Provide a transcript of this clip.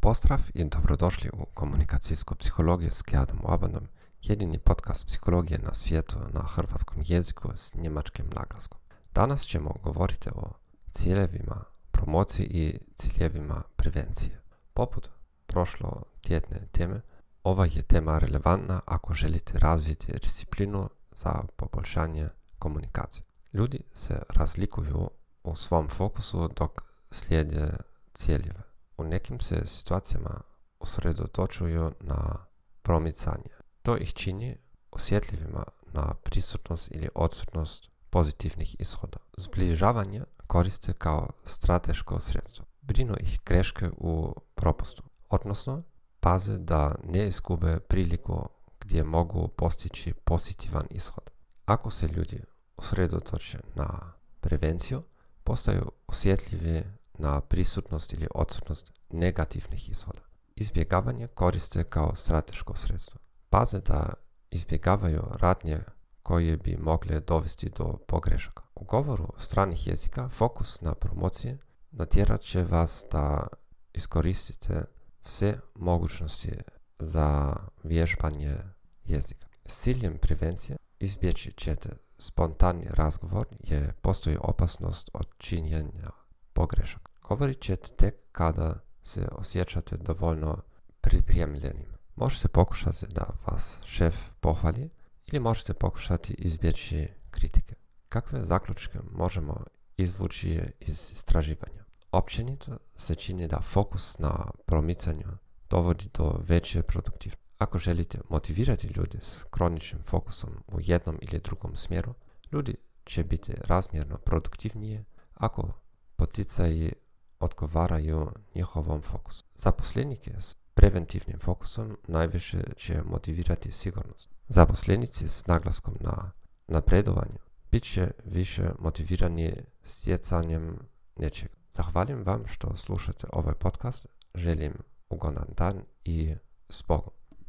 Pozdrav i dobrodošli u Komunikacijsku psihologiju s Keadom Obanom, jedini podcast psihologije na svijetu na hrvatskom jeziku s njemačkim naglaskom. Danas ćemo govoriti o ciljevima promocije i ciljevima prevencije. Poput prošlotjedne teme, ova je tema relevantna ako želite razviti disciplinu za poboljšanje komunikacije. Ljudi se razlikuju u svom fokusu dok slijede ciljeve. U nekim se situacijama usredotočuju na promicanje. To ih čini osjetljivima na prisutnost ili odsutnost pozitivnih ishoda. Zbližavanje koriste kao strateško sredstvo. Brinu ih greške u propustu, odnosno paze da ne izgube priliku gdje mogu postići pozitivan ishod. Ako se ljudi usredotoče na prevenciju, postaju osjetljivi na prisutnost ili odsutnost negativnih ishoda. Izbjegavanje koriste kao strateško sredstvo. Paze da izbjegavaju radnje koje bi mogle dovesti do pogrešaka. U govoru stranih jezika fokus na promocije natjerat će vas da iskoristite sve mogućnosti za vježbanje jezika. S ciljem prevencije izbjeći ćete spontani razgovor jer postoji opasnost od činjenja pogrešaka. Govorit ćete tek kada se osjećate dovoljno pripremljenim. Možete pokušati da vas šef pohvali ili možete pokušati izbjeći kritike. Kakve zaključke možemo izvući iz istraživanja? Općenito se čini da fokus na promicanju dovodi do veće produktivnosti. Ako želite motivirati ljude s kroničnim fokusom u jednom ili drugom smjeru, ljudi će biti razmjerno produktivnije ako poticaji odgovaraju njihovom fokusu. Zaposlenike s preventivnim fokusom najviše će motivirati sigurnost. Zaposlenici s naglaskom na napredovanju bit će više motivirani stjecanjem nečega. Zahvaljujem vam što slušate ovaj podcast. Želim ugodan dan i s Bogom.